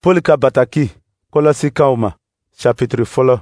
Pɔli ka bataki Kɔlɔsikaw ma, chapitre fɔlɔ.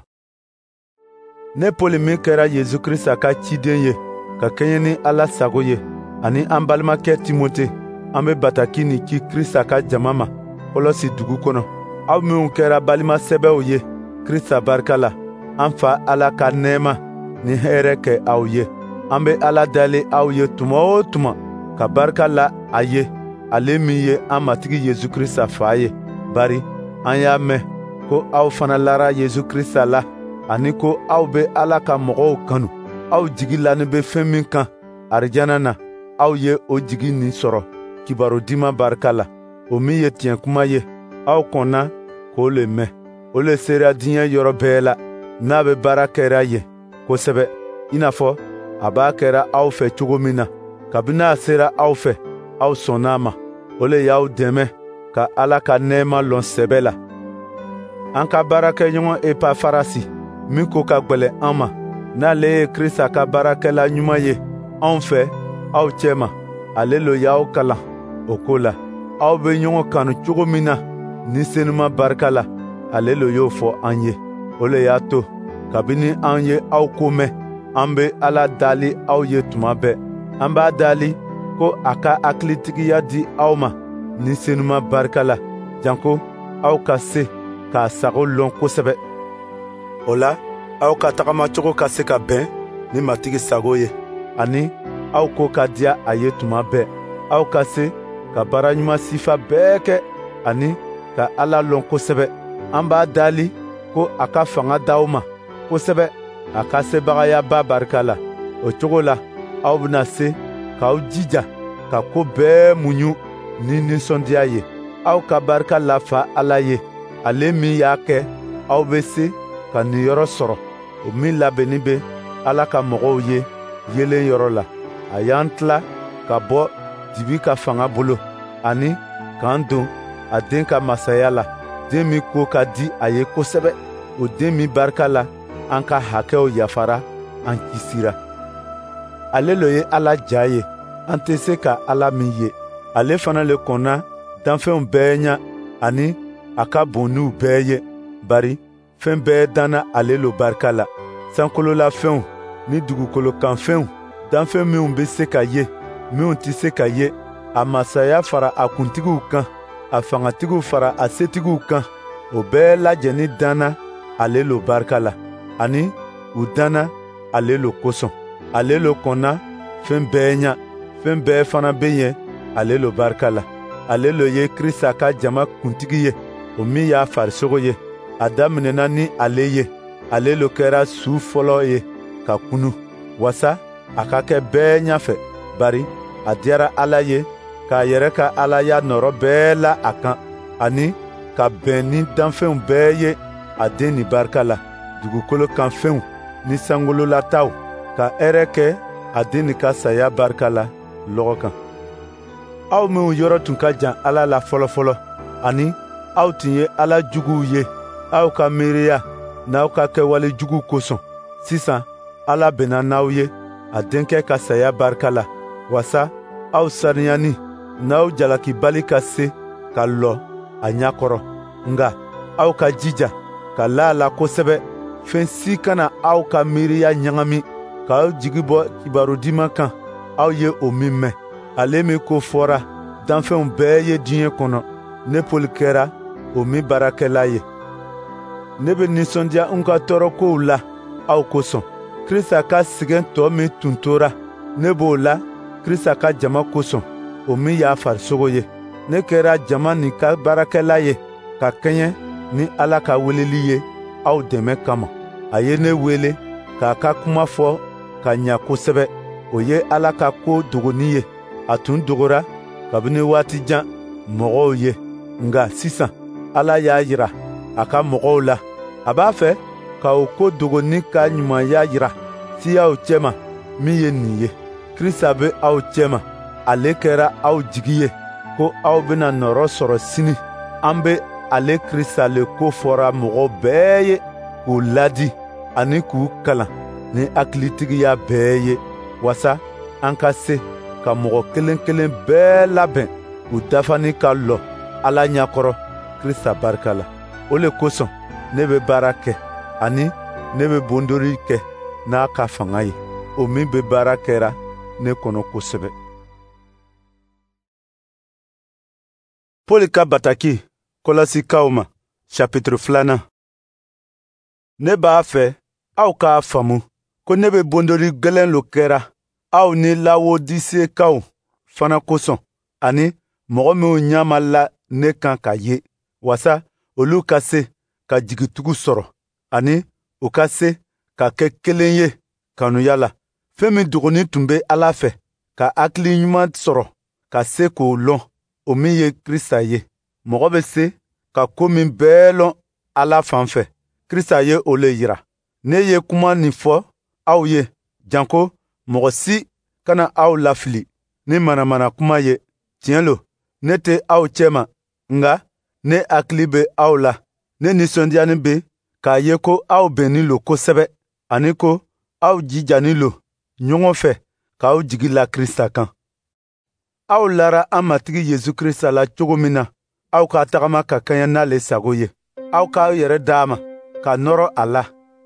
Ne Pɔli min kɛra Yesu Krista ka ciden ye ka kɛɲɛ ni Ala sago ye, ani an balimakɛ Timote, an bɛ bataki nin ci Krista ka jama ma Kɔlɔsi dugu kɔnɔ. Aw minw kɛra balima sɛbɛw ye Krista barika la, an Fa Ala ka nɛɛma ni hɛrɛ kɛ aw ye. An bɛ Ala dali aw ye tuma o tuma ka barika la a ye, ale min ye an Matigi Yesu Krista Fa ye, bari an y'a mɛn ko aw fana lara Yesu Krista la, ani ko aw bɛ Ala ka mɔgɔw kanu. Aw jigi lanin bɛ fɛn min kan arijana na, aw ye o jigi nin sɔrɔ Kibaru Duman barika la, o min ye tiɲɛ kuma ye, aw kɔnna k'o le mɛn. O le sera diɲɛ yɔrɔ bɛɛ la, n'a bɛ baara kɛra yen kosɛbɛ, i n'a fɔ a b'a kɛra aw fɛ cogo min na. Kabini a sera aw fɛ, aw sɔnna a ma. O le y'aw dɛmɛ ka Ala ka nɛɛma lɔn sɛbɛ la. An ka baarakɛɲɔgɔn Epafarasi min ko ka gwɛlɛn an ma, n'ale ye Krista ka baarakɛla ɲuman ye anw fɛ aw cɛma, ale lo y'aw kalan o ko la. Aw bɛ ɲɔgɔn kanu cogo min na Ni Senuma barika la, ale lo y'o fɔ an ye. O le y'a to kabini an ye aw ko mɛn, an bɛ Ala dali aw ye tuma bɛɛ. An b'a dali ko a ka hakilitigiya di aw ma Ni Senuma barika la, janko aw ka se k'a sago lɔn kosɛbɛ. O la, aw ka tagamacogo ka se ka bɛn ni Matigi sago ye, ani aw ko ka diya a ye tuma bɛɛ. Aw ka se ka baara ɲuman sifa bɛɛ kɛ, ani ka Ala lɔn kosɛbɛ. An b'a dali ko a ka fanga d'aw ma kosɛbɛ a ka sebagayaba barika la. O cogo la, aw bɛna se k'aw jija ka ko bɛɛ muɲu ni nisɔndiya ye. Aw ka barika la Fa Ala ye, ale min y'a kɛ aw bɛ se ka niyɔrɔ sɔrɔ, o min labɛnnin bɛ Ala ka mɔgɔw ye yeelen yɔrɔ la. A y'an tila ka bɔ dibi ka fanga bolo, ani k'an don a den ka masaya la, den min ko ka di a ye kosɛbɛ, o den min barika la an ka hakɛw yafara, an kisira. Ale lo ye Ala ja ye, an tɛ se ka Ala min ye. Ale fana le kɔnna danfɛnw bɛɛ ɲɛ, ani a ka bon n'u bɛɛ ye, bari fɛn bɛɛ danna ale lo barika la. Sankolola fɛnw ni dugukolo kan fɛnw, danfɛn minw bɛ se ka ye, minw tɛ se ka ye, a masaya fara a kuntigiw kan, a fangatigiw fara a setigiw kan, o bɛɛ lajɛnin danna ale lo barika la, ani u danna ale lo kosɔn. Ale lo kɔnna fɛn bɛɛ ɲɛ, fɛn bɛɛ fana bɛ yen ale lo barika la. Ale lo ye Krista ka jama kuntigi ye, o min y'a farisogo ye. A daminɛna ni ale ye, ale lo kɛra su fɔlɔ ye ka kunu, wasa a ka kɛ bɛɛ ɲɛfɛ, bari a diyara Ala ye k'a yɛrɛ ka Alaya nɔrɔ bɛɛ la a kan, ani ka bɛn ni danfɛnw bɛɛ ye a den nin barika la, dugukolo kan fɛnw ni sankololataw, ka hɛrɛ kɛ a den nin ka saya barika la lɔgɔ kan. Aw minw yɔrɔ tun ka jan Ala la fɔlɔfɔlɔ, ani aw tun ye Ala juguw ye aw ka miiriya n'aw ka kɛwale jugu kosɔn, sisan Ala bɛnna n'aw ye a denkɛ ka saya barika la, wasa aw saniyani n'aw jalakibali ka se ka lɔ a ɲɛ kɔrɔ. Nka aw ka jija ka la a la kosɛbɛ, fɛn si kana aw ka miiriya ɲagami k'aw jigi bɔ Kibaru Duman kan, aw ye o min mɛn. Ale min ko fɔra danfɛnw bɛɛ ye diɲɛ kɔnɔ, ne Pɔli kɛra o min baarakɛla ye. Ne bɛ nisɔndiya n ka tɔɔrɔkow la aw kosɔn. Krista ka sɛgɛn tɔ min tun tora, ne b'o la Krista ka jama kosɔn, o min y'a farisogo ye. Ne kɛra jama nin ka baarakɛla ye ka kɛɲɛ ni Ala ka weleli ye aw dɛmɛ kama. A ye ne wele k'a ka kuma fɔ ka ɲa kosɛbɛ. O ye Ala ka ko dogoni ye. A tun dogora kabini waati jan mɔgɔw ye, nka sisan Ala y'a jira a ka mɔgɔw la. A b'a fɛ ka o ko dogoni ka ɲumanya jira siyaw cɛma min ye nin ye: Krista bɛ aw cɛma, ale kɛra aw jigi ye ko aw bɛna nɔrɔ sɔrɔ sini. An bɛ ale Krista le ko fɔra mɔgɔ bɛɛ ye k'u ladi ani k'u kalan ni hakilitigiya bɛɛ ye, wasa an ka se ka mɔgɔ kelen kelen bɛɛ labɛn u dafani ka lɔ Ala ɲɛkɔrɔ. Krista barika la. O le kosɔn ne bɛ baara kɛ, ani ne bɛ bondoli kɛ n'a ka fanga ye, o min bɛ baara kɛra ne kɔnɔ kosɛbɛ. Pɔli ka bataki Kɔlɔsikaw ma, chapitre 2. Ne b'a fɛ aw k'a faamu ko ne bɛ bondoli gwɛlɛn lo kɛra aw ni Lawodisekaw fana kosɔn, ani mɔgɔ minw ɲɛ ma la ne kan ka ye, wasa olu ka se ka jigitugu sɔrɔ, ani u ka se ka kɛ kelen ye kanuya la. Fɛn min dogonin tun bɛ Ala fɛ, ka hakili ɲuman sɔrɔ ka se k'o lɔn, o min ye Krista ye. Mɔgɔ bɛ se ka ko min bɛɛ lɔn Ala fan fɛ, Krista ye o le yira. Ne ye kuma nin fɔ aw ye, janko mɔgɔ si kana aw lafili ni manamana kuma ye. Tiɲɛ lo, ne tɛ aw cɛma, nka ne hakili bɛ aw la. Ne nisɔndiyanin bɛ k'a ye ko aw bɛnnin lo kosɛbɛ, ani ko aw jijanin lo ɲɔgɔn fɛ k'aw jigi la Krista kan. Aw lara an Matigi Yesu Krista la cogo min na, aw ka tagama ka kɛɲɛ n'ale sago ye. Aw k'aw yɛrɛ d'a ma, ka nɔrɔ a la,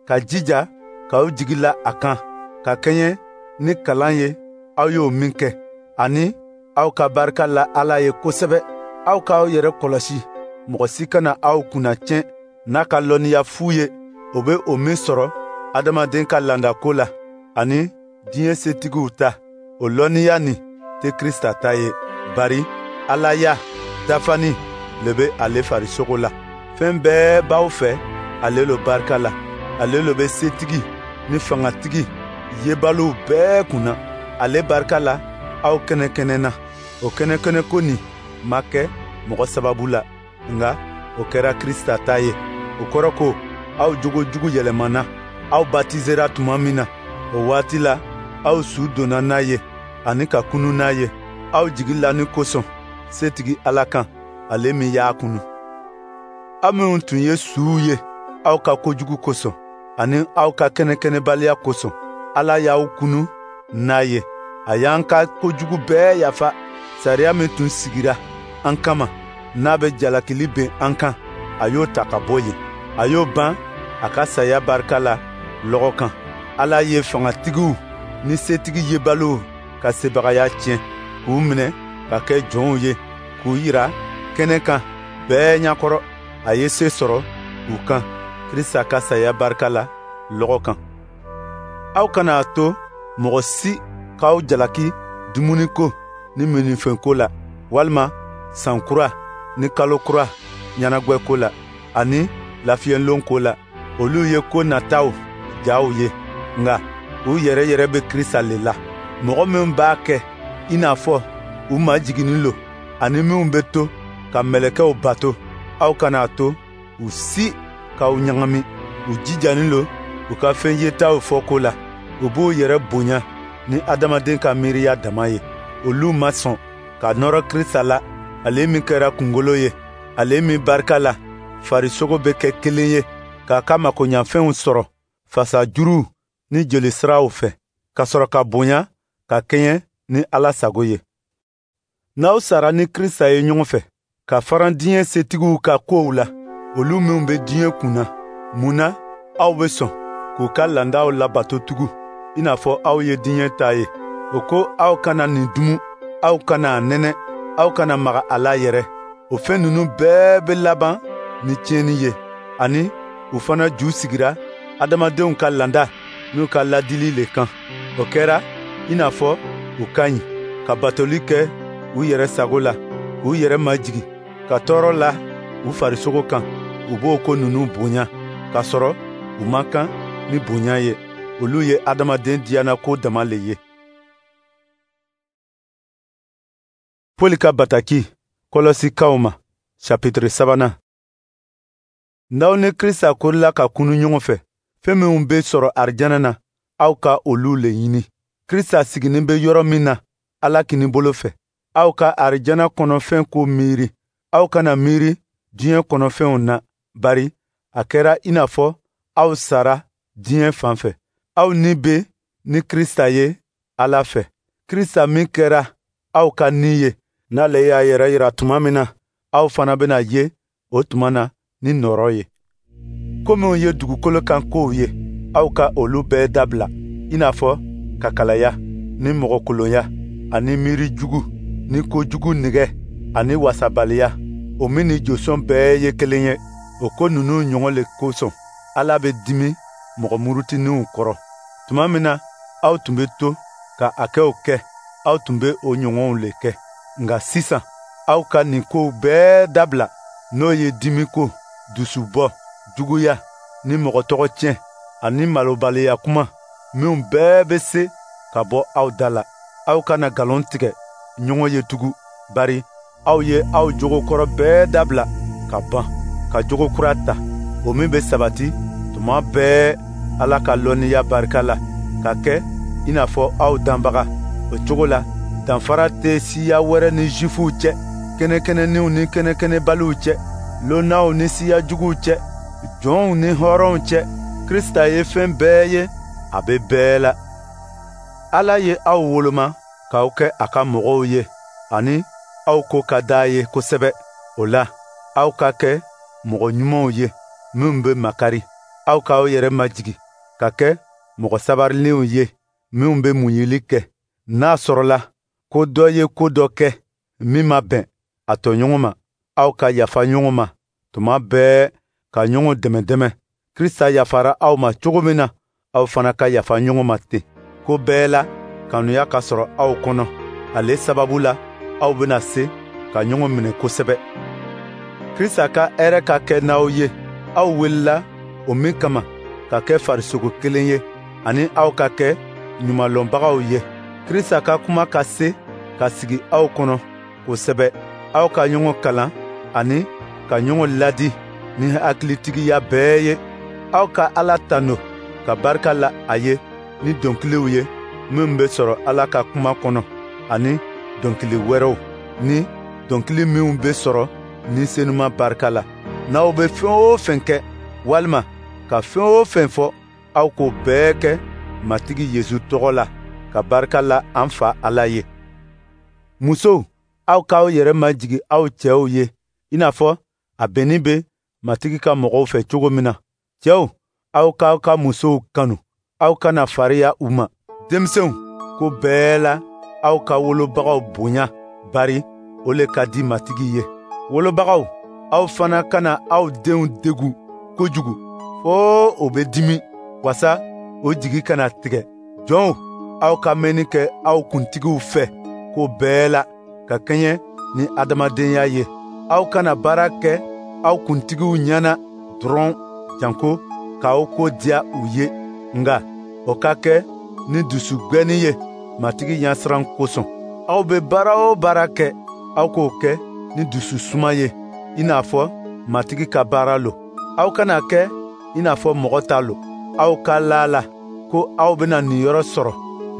ka jija k'aw jigi la a kan, ka kɛɲɛ ni kalan ye aw y'o min kɛ, ani aw ka barika la Ala ye kosɛbɛ. Aw k'aw yɛrɛ kɔlɔsi, mɔgɔ si kana aw kunna tiɲɛ n'a ka lɔnniya fu ye, o bɛ o min sɔrɔ adamaden ka landako la, ani diɲɛ setigiw ta. O lɔnniya nin tɛ Krista ta ye, bari Alaya dafani le bɛ ale farisogo la. Fɛn bɛɛ b'aw fɛ ale lo barika la. Ale lo bɛ setigi ni fangatigi yebaliw bɛɛ kunna. Ale barika la aw kɛnɛkɛnɛna. O kɛnɛkɛnɛko nin ma kɛ mɔgɔ sababu la, nka o kɛra Krista ta ye. O kɔrɔ ko aw jogo jugu yɛlɛmana, aw batizera tuma min na, o waati la aw su donna n'a ye ani ka kunu n'a ye, aw jigi lani kosɔn setigi Ala kan, ale min y'a kunu. Aw minnu tun ye suw ye aw ka kojugu kosɔn ani aw ka kɛnɛkɛnɛbaliya kosɔn, Ala y'aw kunu n'a ye. A y'an ka kojugu bɛɛ yafa. Sariya min tun sigira an kama, n'a bɛ jalakili ben an kan, a y'o ta ka bɔ yen. A y'o ban a ka saya barika la lɔgɔ kan. Ala ye fangatigiw ni setigi yebaliw ka sebagaya tiɲɛ, k'u minɛ ka kɛ jɔnw ye, k'u yira kɛnɛ kan bɛɛ ɲɛkɔrɔ. A ye se sɔrɔ u kan Krista ka saya barika la lɔgɔ kan. Aw kana a to mɔgɔ si k'aw jalaki dumuniko ni minnifɛnko la, walima san kura ni kalo kura ɲɛnagwɛko la, ani lafiyɛlon ko la. Olu ye ko nataw jaw ye, nka u yɛrɛ yɛrɛ bɛ Krista le la. Mɔgɔ minw b'a kɛ i n'a fɔ u majiginnin lo, ani minw bɛ to ka mɛlɛkɛw bato, aw kana a to u si k'aw ɲagami. U jijanin lo u ka fɛn yetaw fɔ ko la. U b'u yɛrɛ bonya ni adamaden ka miiriya dama ye. Olu ma sɔn ka nɔrɔ Krista la, ale min kɛra kunkolo ye, ale min barika la farisogo bɛ kɛ kelen ye, k'a ka makoɲafɛnw sɔrɔ fasajuruw ni jolisiraw fɛ, ka sɔrɔ ka bonya ka kɛɲɛ ni Ala sago ye. N'aw sara ni Krista ye ɲɔgɔn fɛ, ka faran diɲɛ setigiw ka kow la, olu minw bɛ diɲɛ kunna, mun na aw bɛ sɔn k'u ka landaw labato tugun, i n'a fɔ aw ye diɲɛ ta ye? O ko aw kana nin dumu, aw kana a nɛnɛ, aw kana maga a la yɛrɛ. O fɛn ninnu bɛɛ bɛ laban ni tiɲɛni ye, ani u fana ju sigira adamadenw ka landa n'u ka ladili le kan. O kɛra i n'a fɔ u ka ɲi ka batoli kɛ u yɛrɛ sago la, k'u yɛrɛ majigin, ka tɔɔrɔ la u farisogo kan. U b'o ko ninnu bonya, k'a sɔrɔ u man kan ni bonya ye. Olu ye adamaden diyanako dama le ye. Pɔli ka bataki Kɔlɔsikaw ma, chapitre 3. N'aw ni Krista korila ka kunu ɲɔgɔn fɛ, fɛn minw bɛ sɔrɔ arijana na, aw ka olu le ɲini. Krista siginin bɛ yɔrɔ min na, Ala kinibolo fɛ. Aw ka arijana kɔnɔfɛn ko miiri. Aw kana miiri diɲɛ kɔnɔfɛnw na, bari a kɛra i n'a fɔ aw sara diɲɛ fan fɛ. Aw ni bɛ ni Krista ye Ala fɛ. Krista min kɛra aw ka ni ye, n'ale y'a yɛrɛ yira tuma min na, aw fana bɛna ye o tuma na ni nɔɔrɔ ye. Ko minnu ye dugukolo kan kow ye, aw ka olu bɛɛ dabila, i n'a fɔ kakalaya ni mɔgɔkolonya ani miiri jugu ni kojugu nege ani wasabaliya, o min ni josɔn bɛɛ ye kelen ye. O ko ninnu ɲɔgɔn le kosɔn Ala bɛ dimi mɔgɔ murutininw kɔrɔ. Tuma min na aw tun bɛ to ka a kɛw kɛ, aw tun bɛ o ɲɔgɔnw le kɛ. Nka sisan aw ka nin kow bɛɛ dabila, n'o ye dimiko, dusubɔ, juguya ni mɔgɔ tɔgɔ tiɲɛ ani malobaliya kuma minnu bɛɛ bɛ se ka bɔ aw da la. Aw kana nkalon tigɛ ɲɔgɔn ye tugun, bari aw ye aw jogo kɔrɔ bɛɛ dabila ka ban, ka jogo kura ta, o min bɛ sabati tuma bɛɛ Ala ka lɔnniya barika la, ka kɛ i n'a fɔ aw danbaga. O cogo la, danfara tɛ siya wɛrɛ ni Zifuw cɛ, kɛnɛkɛnɛninw ni kɛnɛkɛnɛbaliw cɛ, lonnaw ni siya juguw cɛ, jɔnw ni hɔrɔnw cɛ. Krista ye fɛn bɛɛ ye, a bɛ bɛɛ la. Ala ye aw woloma k'aw kɛ a ka mɔgɔw ye, ani aw ko ka d'a ye kosɛbɛ. O la, aw ka kɛ mɔgɔ ɲumanw ye minnu bɛ makari. Aw k'aw yɛrɛ majigin ka kɛ mɔgɔ sabarilenw ye minnu bɛ muɲuli kɛ. N'a sɔrɔla ko dɔ ye ko dɔ kɛ min ma bɛn a tɔɲɔgɔn ma, aw ka yafa ɲɔgɔn ma tuma bɛɛ, ka ɲɔgɔn dɛmɛ dɛmɛ. Krista yafara aw ma cogo min na, aw fana ka yafa ɲɔgɔn ma ten. Ko bɛɛ la, kanuya ka sɔrɔ aw kɔnɔ. Ale sababu la, aw bɛna se ka ɲɔgɔn minɛ kosɛbɛ. Krista ka hɛrɛ ka kɛ n'aw ye, aw welela o min kama ka kɛ farisogo kelen ye, ani aw ka kɛ ɲumanlɔnbagaw ye. Krista ka kuma ka se ka sigi aw kɔnɔ kosɛbɛ. Aw ka ɲɔgɔn kalan ani ka ɲɔgɔn ladi ni hakilitigiya bɛɛ ye. Aw ka Ala tanu ka barika la a ye ni dɔnkiliw ye minnu bɛ sɔrɔ Ala ka kuma kɔnɔ, ani dɔnkili wɛrɛw ni dɔnkili minnu bɛ sɔrɔ ni senuma barika la. N'aw bɛ fɛn o fɛn kɛ, walima ka fɛn o fɛn fɔ, aw k'o bɛɛ kɛ Matigi Yesu tɔgɔ la, ka barika la an Fa Ala ye. Musow, aw k'aw yɛrɛ majigin aw cɛw ye, i n'a fɔ a bɛnnin bɛ Matigi ka mɔgɔw fɛ cogo min na. Cɛw, aw k'aw ka musow kanu, aw kana fariya u ma. Denmisɛnw, ko bɛɛ la, aw ka wolobagaw bonya, bari o le ka di Matigi ye. Wolobagaw, aw fana kana aw denw degun kojugu fo o bɛ dimi, wasa o jigi kana tigɛ. Jɔnw, aw ka mɛnni kɛ aw kuntigiw fɛ ko bɛɛ la, ka kɛɲɛ ni adamadenya ye. Aw kana baara kɛ aw kuntigiw ɲɛna dɔrɔn, janko k'aw ko diya u ye, nka o ka kɛ ni dusugɛnni ye Matigi ɲɛsiran kosɔn. Aw bɛ baara o baara kɛ, aw k'o kɛ ni dususuma ye, i n'a fɔ Matigi ka baara lo. Aw kana kɛ i n'a fɔ mɔgɔ ta lo. Aw ka la la ko aw bɛna niyɔrɔ sɔrɔ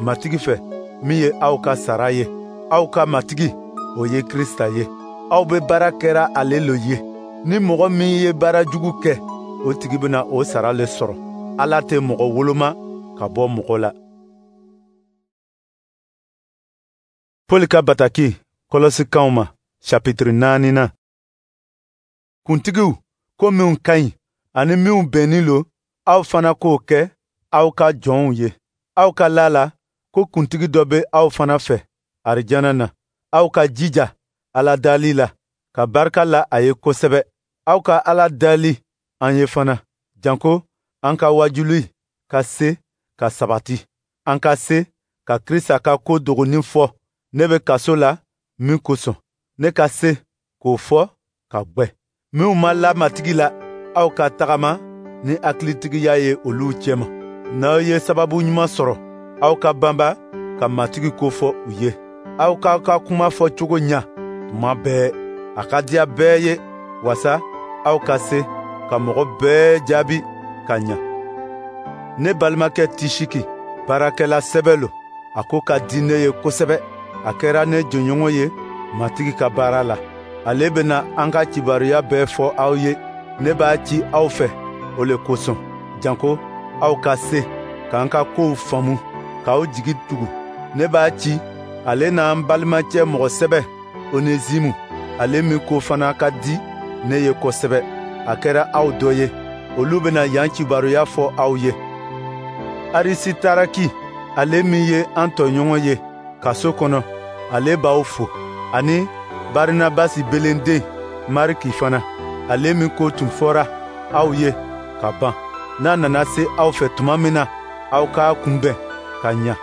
Matigi fɛ min ye aw ka sara ye. Aw ka Matigi, o ye Krista ye. Aw bɛ baara kɛra ale lo ye. Ni mɔgɔ min ye baara jugu kɛ, o tigi bɛna o sara le sɔrɔ. Ala tɛ mɔgɔ woloma ka bɔ mɔgɔ la. Pɔli ka bataki Kɔlɔsikaw ma, chapitre 4. Kuntigiw, ko minnu ka ɲi ani minnu bɛnnin lo, aw fana k'o kɛ aw ka jɔnw ye. Aw ka la la ko kuntigi dɔ bɛ aw fana fɛ arijana na. Aw ka jija Ala dali la, ka barika la a ye kosɛbɛ. Aw ka Ala dali an ye fana, janko an ka wajuli ka se ka sabati, an ka se ka Krista ka ko dogonin fɔ ne bɛ kaso la min kosɔn, ne ka se k'o fɔ ka gwɛ. Minnu ma la Matigi la, aw ka tagama ni hakilitigiya ye olu cɛma. N'aw ye sababu ɲuman sɔrɔ, aw ka banba ka Matigi ko fɔ u ye. Aw k'aw ka kuma fɔ cogo ɲa tuma bɛɛ, a ka diya bɛɛ ye, wasa aw ka se ka mɔgɔ bɛɛ jaabi ka ɲa. Ne balimakɛ Tisiki, baarakɛla sɛbɛ lo, a ko ka di ne ye kosɛbɛ. A kɛra ne jɔɲɔgɔn ye Matigi ka baara la. Ale bɛna an ka kibaruya bɛɛ fɔ aw ye. Ne b'a ci aw fɛ o le kosɔn, janko aw ka se k'an ka kow faamu, k'aw jigi tugu. Ne b'a ci ale n'an balimacɛ mɔgɔ sɛbɛ Onezimu, ale min ko fana ka di ne ye kosɛbɛ, a kɛra aw dɔ ye. Olu bɛna yan kibaruya fɔ aw ye. Arisitaraki, ale min ye an tɔɲɔgɔn ye kaso kɔnɔ, ale b'aw fo, ani Barinabasi belenden Mariki fana, ale min ko tun fɔra aw ye ka ban. N'a nana se aw fɛ tuma min na, aw k'a kunbɛn ka ɲa.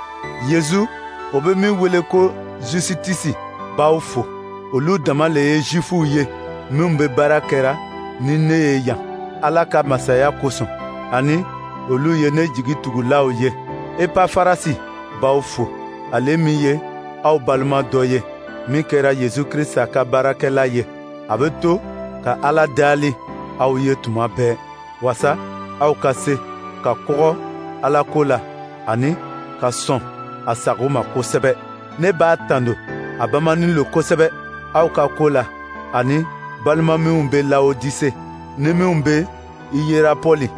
Yezu, o bɛ min wele ko Jusitisi, b'aw fo. Olu dama le ye Zifuw ye minnu bɛ baara kɛra ni ne ye yan Ala ka masaya kosɔn, ani olu ye ne jigitugulaw ye. Epafarasi b'aw fo, ale min ye aw balima dɔ ye, min kɛra Yezu Krisita ka baarakɛla ye. A bɛ to ka Ala dali aw ye tuma bɛɛ, waasa aw ka se ka kɔgɔ Ala ko la ani ka sɔn a sago ma kosɛbɛ. Ne b'a tando, a bamanin lo kosɛbɛ aw ka ko la, ani balima minw bɛ Lawodise ni minw bɛ Iyerapɔli.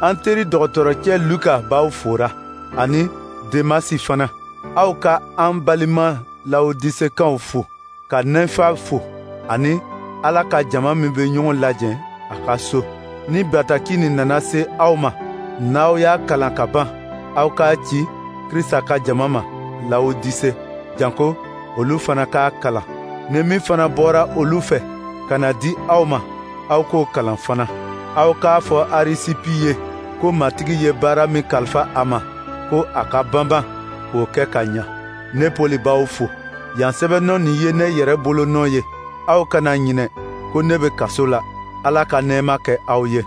An teri dɔgɔtɔrɔcɛ Luka b'aw fora, ani Demasi fana. Aw ka an balima Lawodisekaw fo, ka Nɛnfa fo, ani Ala ka jama min bɛ ɲɔgɔn lajɛ a ka so. Ni bataki nin nana se aw ma, n'aw y'a kalan ka ban, aw k'a ci Krista ka jama ma Lawodise, janko olu fana k'a kalan. Ni min fana bɔra olu fɛ ka na di aw ma, aw k'o kalan fana. Aw k'a fɔ Arisipi ye ko Matigi ye baara min kalifa a ma, ko a ka banban k'o kɛ ka ɲa. Ne Pɔli b'aw fo. Yan sɛbɛnnɔ nin ye ne yɛrɛ bolonɔ ye. Aw kana ɲinɛ ko ne bɛ kaso la. Ala ka nɛɛma kɛ aw ye.